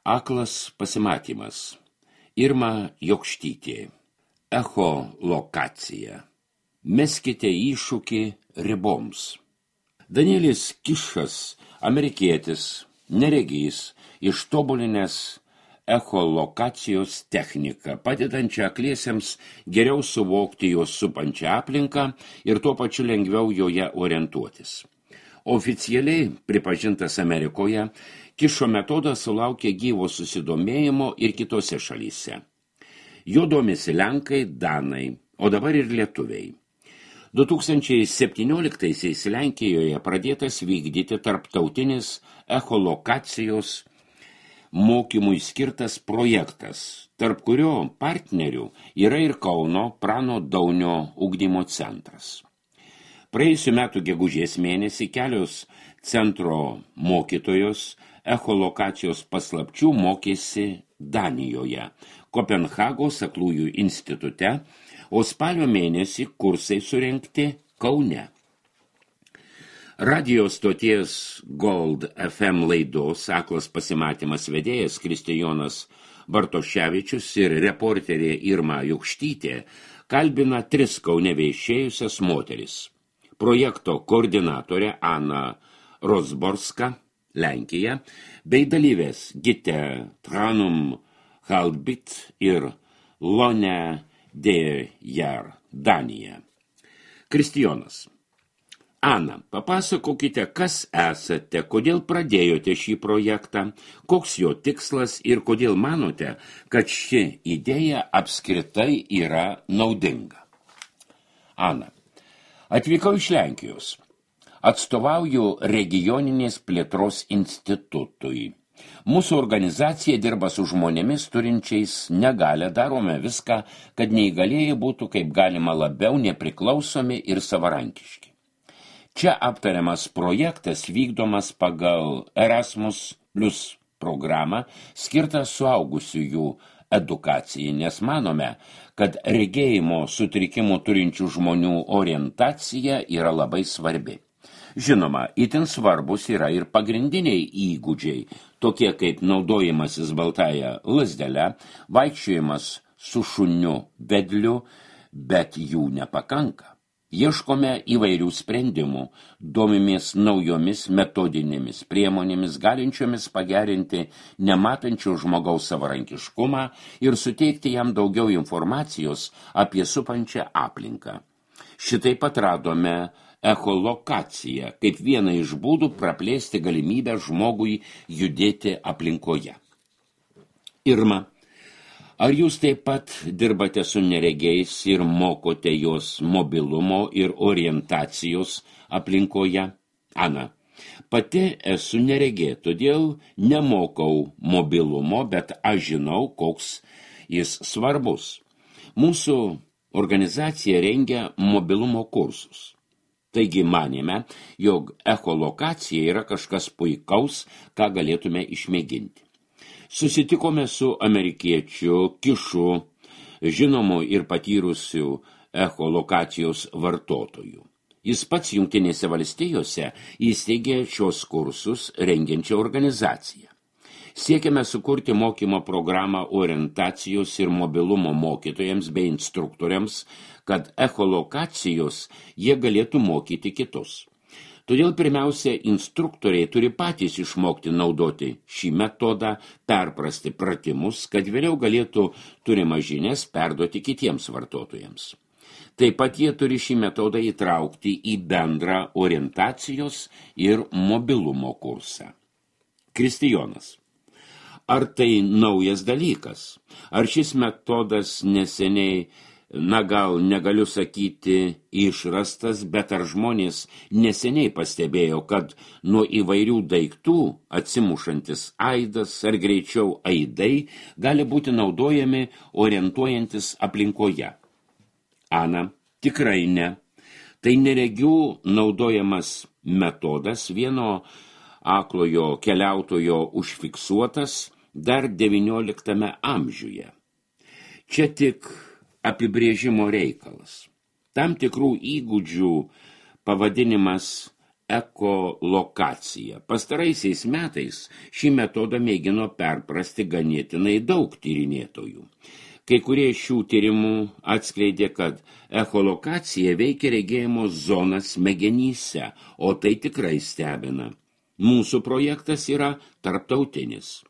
Aklas pasimatymas. Irma Jokštytė. Echolokacija. Meskite iššūkį riboms. Danielis Kišas, amerikietis, neregys, ištobulinęs echolokacijos techniką, padedančią akliesiems geriau suvokti jos supančią aplinką ir tuo pačiu lengviau joje orientuotis. Oficialiai pripažintas Amerikoje, Kišo metodas sulaukė gyvo susidomėjimo ir kitose šalyse. Jo domisi lenkai, danai, o dabar ir lietuviai. 2017-aisiais Lenkijoje pradėtas vykdyti tarptautinis echolokacijos mokymui skirtas projektas, tarp kurio partnerių yra ir Kauno Prano Daunio ugdymo centras. Praėjusių metų gegužės mėnesį kelios centro mokytojos echolokacijos paslapčių mokėsi Danijoje, Kopenhagos aklųjų institute, o spalio mėnesį kursai surengti Kaune. Radio stoties Gold FM laidos Aklas pasimatymas vedėjas Kristijonas Bartoševičius ir reporterė Irma Jokštytė kalbina 3 Kaune viešėjusias moteris. Projekto koordinatorė Ana Rozborska, Lenkija, bei dalyvės Gite Tranum Halbit ir Lone Dejar, Danija. Kristijonas. Ana, papasakokite, kas esate, kodėl pradėjote šį projektą, koks jo tikslas ir kodėl manote, kad ši idėja apskritai yra naudinga. Ana. Atvykau iš Lenkijos. Atstovauju regioninės plėtros institutui. Mūsų organizacija dirba su žmonėmis turinčiais negalią, darome viską, kad neįgalieji būtų kaip galima labiau nepriklausomi ir savarankiški. Čia aptariamas projektas vykdomas pagal Erasmus Plus programą skirtą suaugusiųjų edukacijai, nes manome, kad regėjimo sutrikimų turinčių žmonių orientacija yra labai svarbi. Žinoma, itin svarbus yra ir pagrindiniai įgūdžiai, tokie kaip naudojimasis baltąja lazdele, vaikščiojimas su šuniu vedliu, bet jų nepakanka. Ieškome įvairių sprendimų, domimės naujomis metodinėmis priemonėmis, galinčiomis pagerinti nematančio žmogaus savarankiškumą ir suteikti jam daugiau informacijos apie supančią aplinką. Šitai atradome echolokaciją kaip vieną iš būdų praplėsti galimybę žmogui judėti aplinkoje. Irma. Ar jūs taip pat dirbate su neregiais ir mokote jos mobilumo ir orientacijos aplinkoje? Ana. Pati esu neregė, todėl nemokau mobilumo, bet aš žinau, koks jis svarbus. Mūsų organizacija rengia mobilumo kursus. Taigi manėme, jog echolokacija yra kažkas puikaus, ką galėtume išmėginti. Susitikome su amerikiečiu Kišu, žinomu ir patyrusiu echolokacijos vartotoju. Jis pats Jungtinėse valstijose įsteigė šios kursus rengiančią organizaciją. Siekiame sukurti mokymo programą orientacijos ir mobilumo mokytojams bei instruktoriams, kad echolokacijos jie galėtų mokyti kitus. Todėl pirmiausia, instruktoriai turi patys išmokti naudoti šį metodą, perprasti pratimus, kad vėliau galėtų turimą žinias perduoti kitiems vartotojams. Taip pat jie turi šį metodą įtraukti į bendrą orientacijos ir mobilumo kursą. Kristijonas. Ar tai naujas dalykas? Ar šis metodas neseniai, gal negaliu sakyti išrastas, bet ar žmonės neseniai pastebėjo, kad nuo įvairių daiktų atsimušantis aidas ar greičiau aidai gali būti naudojami orientuojantis aplinkoje? Ana, tikrai ne. Tai neregių naudojamas metodas, vieno aklojo keliautojo užfiksuotas dar 19 amžiuje. Čia tik apibrėžimo reikalas. Tam tikrų įgūdžių pavadinimas ekolokacija. Pastaraisiais metais šį metodą mėgino perprasti ganėtinai daug tyrinėtojų. Kai kurie šių tyrimų atskleidė, kad echolokacija veikia regėjimo zoną smegenyse, o tai tikrai stebina. Mūsų projektas yra tarptautinis.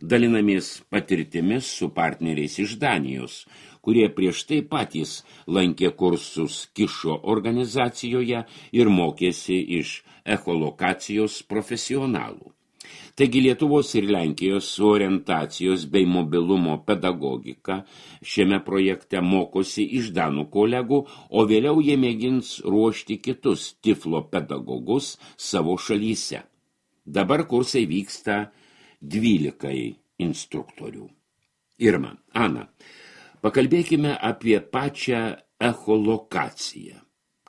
Dalinamės patirtimis su partneriais iš Danijos, kurie prieš tai patys lankė kursus Kišo organizacijoje ir mokėsi iš echolokacijos profesionalų. Taigi Lietuvos ir Lenkijos orientacijos bei mobilumo pedagogika šiame projekte mokosi iš danų kolegų, o vėliau jie mėgins ruošti kitus tiflo pedagogus savo šalyse. Dabar kursai vyksta 12 instruktorių. Irma, Ana, pakalbėkime apie pačią echolokaciją.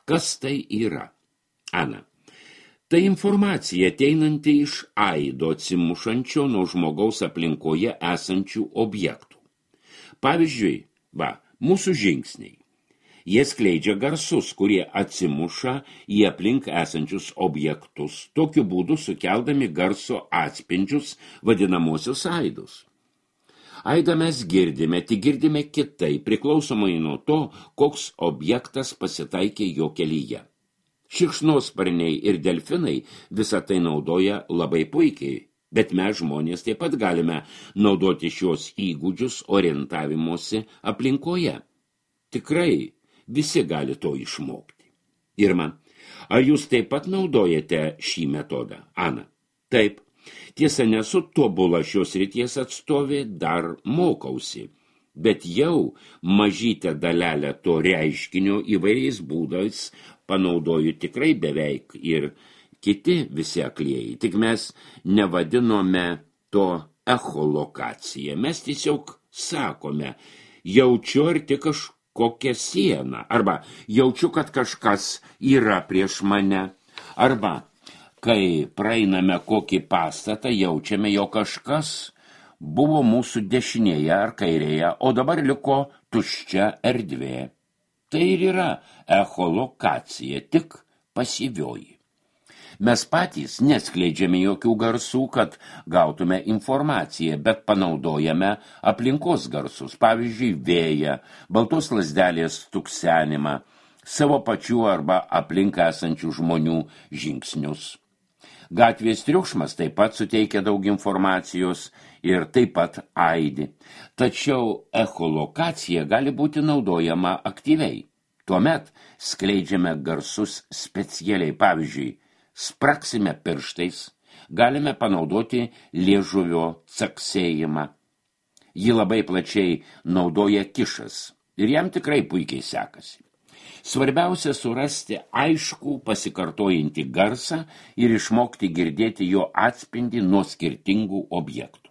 Kas tai yra? Ana, tai informacija ateinanti iš aido atsimušančio nuo žmogaus aplinkoje esančių objektų. Pavyzdžiui, mūsų žingsniai. Jie skleidžia garsus, kurie atsimuša į aplink esančius objektus, tokiu būdu sukeldami garso atspindžius vadinamosius aidus. Aidą mes girdime, tik girdime kitai, priklausomai nuo to, koks objektas pasitaikė jo kelyje. Šikšnosparniai ir delfinai visą tai naudoja labai puikiai, bet mes žmonės taip pat galime naudoti šios įgūdžius orientavimosi aplinkoje. Tikrai visi gali to išmokti. Irma, ar jūs taip pat naudojate šį metodą? Ana, taip. Tiesa, nesu tobula šios srities atstovė, dar mokausi, bet jau mažytę dalelę to reiškinio įvairiais būdais panaudoju tikrai beveik ir kiti visi aklieji. Tik mes nevadinome to echolokacija. Mes tiesiog sakome, jaučiu arti kažkokią sieną, arba jaučiu, kad kažkas yra prieš mane, arba kai praeiname kokį pastatą, jaučiame, jo kažkas buvo mūsų dešinėje ar kairėje, o dabar liko tuščia erdvė. Tai ir yra echolokacija, tik pasyvioji. Mes patys neskleidžiame jokių garsų, kad gautume informaciją, bet panaudojame aplinkos garsus, pavyzdžiui, vėją, baltos lazdelės tuksenimą, savo pačių arba aplink esančių žmonių žingsnius. Gatvės triukšmas taip pat suteikia daug informacijos ir taip pat aidi. Tačiau echolokacija gali būti naudojama aktyviai. Tuomet skleidžiame garsus specialiai. Pavyzdžiui, spraksime pirštais, galime panaudoti liežuvio caksėjimą. Jį labai plačiai naudoja Kišas ir jam tikrai puikiai sekasi. Svarbiausia surasti aiškų pasikartojantį garsą ir išmokti girdėti jo atspindį nuo skirtingų objektų.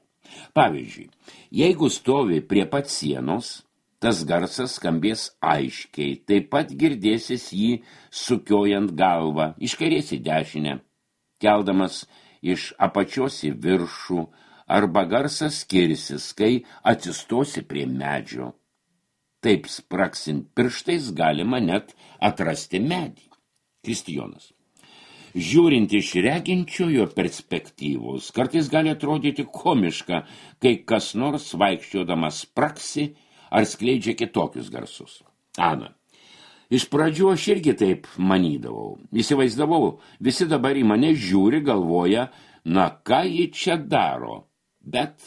Pavyzdžiui, jeigu stovi prie pat sienos, tas garsas skambės aiškiai, taip pat girdėsis jį sukiojant galvą iš kairės į dešinę, keldamas iš apačios į viršų, arba garsas skirsis, kai atsistosi prie medžio. Taip spraksint pirštais galima net atrasti medį. Kristijonas. Žiūrint iš reginčiojo perspektyvos, kartais gali atrodyti komiška, kai kas nors vaikščiodamas spraksi ar skleidžia kitokius garsus. Ana. Iš pradžių aš irgi taip manydavau. Įsivaizdavau, visi dabar į mane žiūri, galvoja, na ką ji čia daro. Bet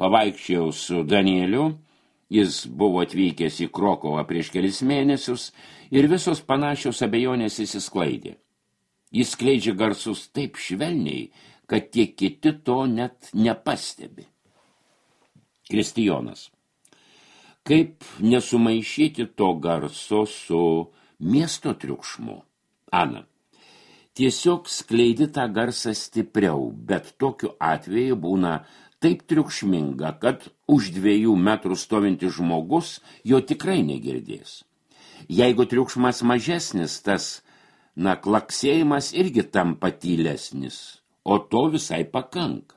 pavaikščiojau su Danieliu, jis buvo atvykęs į Krokovą prieš kelis mėnesius ir visos panašios abejonės išsisklaidė. Jis skleidžia garsus taip švelniai, kad tie kiti to net nepastebi. Kristijonas. Kaip nesumaišyti to garso su miesto triukšmu? Ana. Tiesiog skleidi tą garsą stipriau, bet tokiu atveju būna taip triukšminga, kad už 2 metrų stovintis žmogus jo tikrai negirdės. Jeigu triukšmas mažesnis, tas, klaksėjimas irgi tampa tylesnis, o to visai pakanka.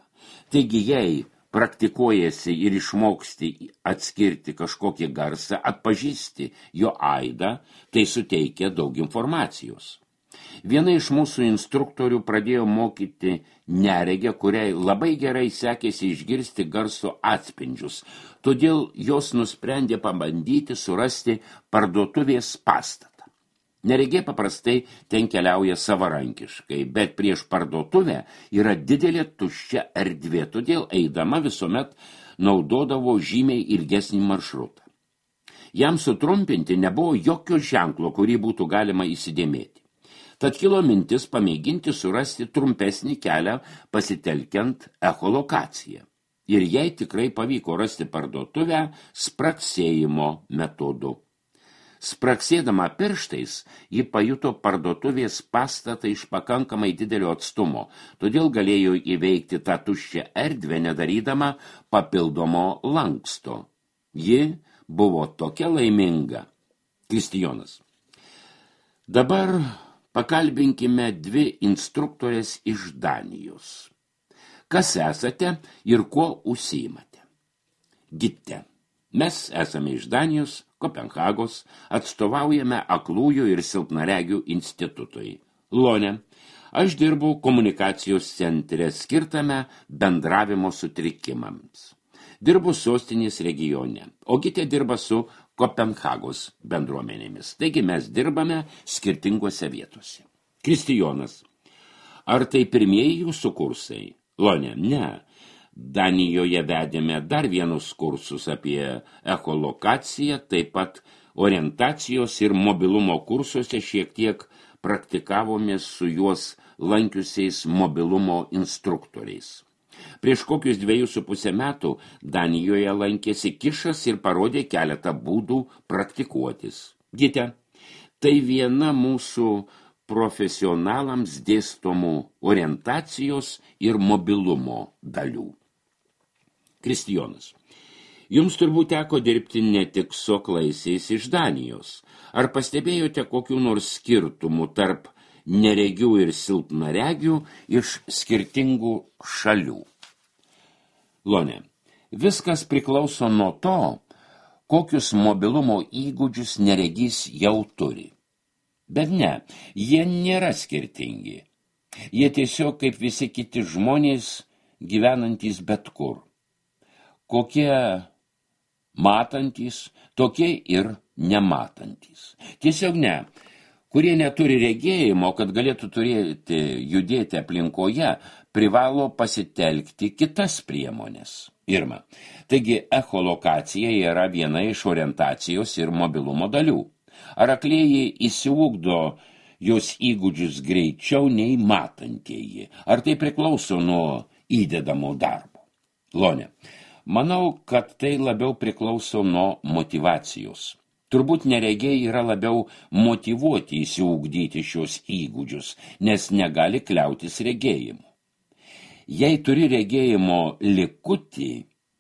Taigi, jei praktikuojasi ir išmoksti atskirti kažkokį garsą, atpažįsti jo aidą, tai suteikia daug informacijos. Viena iš mūsų instruktorių pradėjo mokyti neregę, kuriai labai gerai sekėsi išgirsti garso atspindžius, todėl jos nusprendė pabandyti surasti parduotuvės pastatą. Neregė paprastai ten keliauja savarankiškai, bet prieš parduotuvę yra didelė tuščia erdvė, todėl eidama visuomet naudodavo žymiai ilgesnį maršrutą. Jam sutrumpinti nebuvo jokio ženklo, kurį būtų galima įsidėmėti. Tad kilo mintis pamėginti surasti trumpesnį kelią pasitelkiant echolokaciją. Ir jai tikrai pavyko rasti parduotuvę spraksėjimo metodu. Spraksėdama pirštais, ji pajuto parduotuvės pastatą iš pakankamai didelio atstumo, todėl galėjo įveikti tą tuščią erdvę, nedarydama papildomo lanksto. Ji buvo tokia laiminga. Kristijonas. Dabar pakalbinkime dvi instruktorės iš Danijos. Kas esate ir kuo užsiimate? Gitte. Mes esame iš Danijos, Kopenhagos, atstovaujame aklųjų ir silpnaregių institutui. Lone. Aš dirbu komunikacijos centre skirtame bendravimo sutrikimams. Dirbu sostinės regione, o Gitė dirba su Kopenhagos bendruomenėmis. Taigi mes dirbame skirtingose vietose. Kristijonas. Ar tai pirmieji jūsų kursai? Lone. Ne. Danijoje vedėme dar vienus kursus apie echolokaciją, taip pat orientacijos ir mobilumo kursuose šiek tiek praktikavomės su juos lankiusiais mobilumo instruktoriais. Prieš kokius 2,5 metų Danijoje lankėsi Kišas ir parodė keletą būdų praktikuotis. Gite, tai viena mūsų profesionalams dėstomų orientacijos ir mobilumo dalių. Kristijonas. Jums turbūt teko dirbti ne tik su aklaisiais iš Danijos. Ar pastebėjote kokių nors skirtumų tarp neregių ir silpnaregių iš skirtingų šalių? Lone. Viskas priklauso nuo to, kokius mobilumo įgūdžius neregys jau turi. Bet ne, jie nėra skirtingi. Jie tiesiog kaip visi kiti žmonės gyvenantys bet kur. Kokie matantys, tokie ir nematantys. Tiesiog ne. Kurie neturi regėjimo, kad galėtų judėti aplinkoje, privalo pasitelkti kitas priemonės. Irma. Taigi echolokacija yra viena iš orientacijos ir mobilumo dalių. Ar aklieji įsiugdo jos įgūdžius greičiau nei matantieji? Ar tai priklauso nuo įdedamo darbo? Lone. Manau, kad tai labiau priklauso nuo motyvacijos. Turbūt neregiai yra labiau motyvuoti įsiugdyti šios įgūdžius, nes negali kliautis regėjimu. Jei turi regėjimo likutį,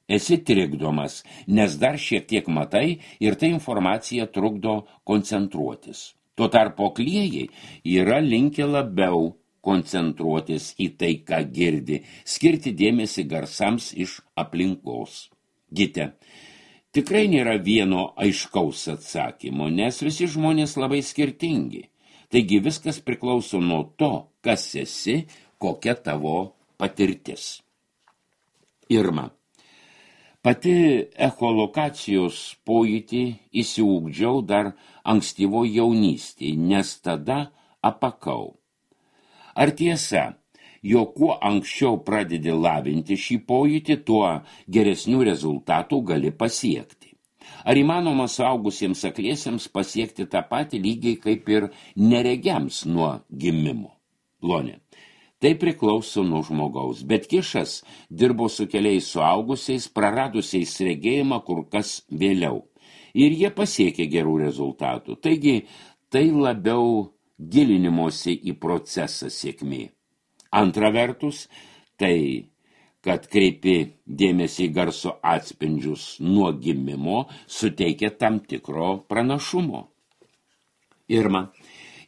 esi trikdomas, nes dar šiek tiek matai ir ta informacija trukdo koncentruotis. Tuo tarpu aklieji yra linkę labiau koncentruotis į tai, ką girdi, skirti dėmesį garsams iš aplinkos. Gite, tikrai nėra vieno aiškaus atsakymo, nes visi žmonės labai skirtingi. Taigi viskas priklauso nuo to, kas esi, kokia tavo patirtis. Irma. Pati echolokacijos pojūtį įsiugdžiau dar ankstyvo jaunystėje, nes tada apakau. Ar tiesa, jog kuo anksčiau pradedi lavinti šį pojūtį, tuo geresnių rezultatų gali pasiekti? Ar įmanoma suaugusiems akliesiems pasiekti tą patį lygiai kaip ir neregiams nuo gimimo? Lone. Tai priklauso nuo žmogaus, bet Kišas dirbo su keliais suaugusiais, praradusiais regėjimą kur kas vėliau. Ir jie pasiekė gerų rezultatų. Taigi, tai labiau gilinimosi į procesą sėkmė. Antra vertus, tai, kad kreipi dėmesį į garso atspindžius nuo gimimo, suteikia tam tikro pranašumo. Irma.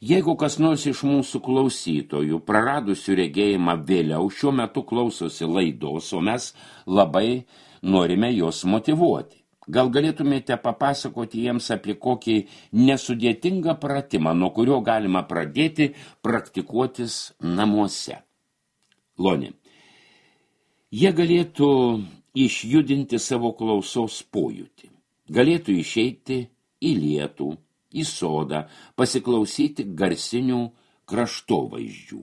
Jeigu kas nors iš mūsų klausytojų praradusių regėjimą vėliau šiuo metu klausosi laidos, o mes labai norime jos motyvuoti. Gal galėtumėte papasakoti jiems apie kokį nesudėtingą pratimą, nuo kurio galima pradėti praktikuotis namuose. Lonė. Jie galėtų išjudinti savo klausos pojūtį. Galėtų išeiti į lietų, į sodą, pasiklausyti garsinių kraštovaizdžių.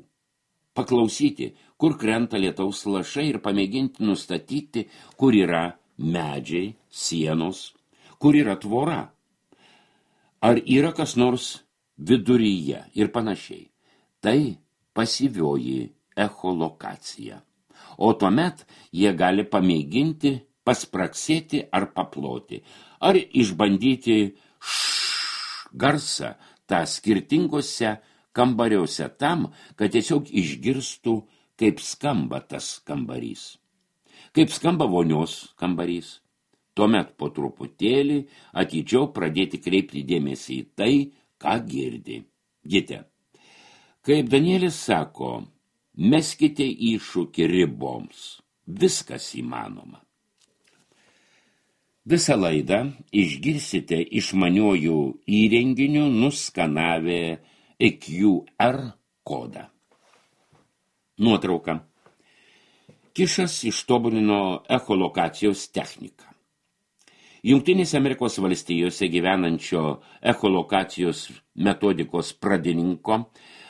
Paklausyti, kur krenta lietaus lašai ir pamėginti nustatyti, kur yra medžiai, sienos, kur yra tvora. Ar yra kas nors viduryje ir panašiai. Tai pasyvioji echolokacija. O tuomet jie gali pamėginti paspraksėti ar paploti, ar išbandyti garsą tą skirtingose kambariuose tam, kad tiesiog išgirstų, kaip skamba tas kambarys. Kaip skamba vonios kambarys. Tuomet po truputėlį atidžiau pradėti kreipti dėmesį į tai, ką girdi. Gite. Kaip Danielis sako, meskite iššūkį riboms. Viskas įmanoma. Visą laidą išgirsite išmaniojų įrenginių nuskanavę EQR kodą. Nuotrauka. Kišas ištobulino echolokacijos techniką. Jungtinėse Amerikos valstijose gyvenančio echolokacijos metodikos pradininko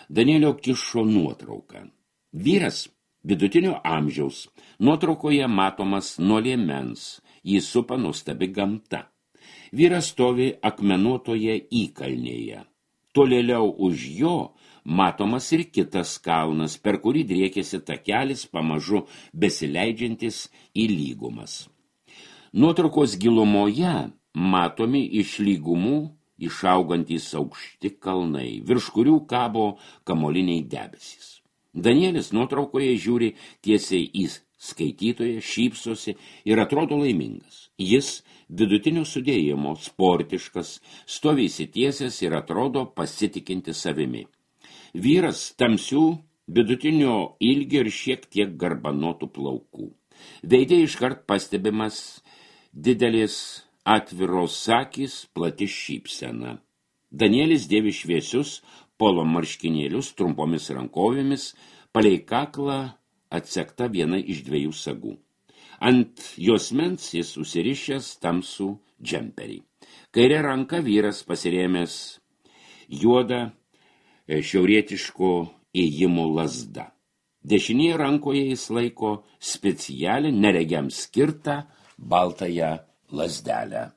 Danielio Kišo nuotrauka. Vyras vidutinio amžiaus. Nuotraukoje matomas nuo liemens. Jį supa nuostabi gamta. Vyras stovi akmenuotoje įkalnėje. Tolėliau už jo matomas ir kitas kalnas, per kurį driekėsi takelis pamažu besileidžiantis į lygumas. Nuotraukos gilumoje matomi iš lygumų išaugantys aukšti kalnai, virš kurių kabo kamoliniai debesys. Danielis nuotraukoje žiūri tiesiai į skaitytoją, šypsosi ir atrodo laimingas. Jis vidutinio sudėjimo, sportiškas, stovi įsitiesęs ir atrodo pasitikinti savimi. Vyras tamsių, vidutinio ilgio ir šiek tiek garbanotų plaukų. Veide iškart pastebimas didelis atviros akys, plati šypsena. Danielis dėvi šviesius polo marškinėlius trumpomis rankovėmis, palei kaklą atsekta viena iš 2 sagų. Ant juosmens jis užsirišęs tamsų džemperį. Kairė ranka vyras pasirėmęs juodą šiaurietiško ėjimo lazda. Dešinėje rankoje jis laiko specialią neregiams skirtą baltąją lazdelę.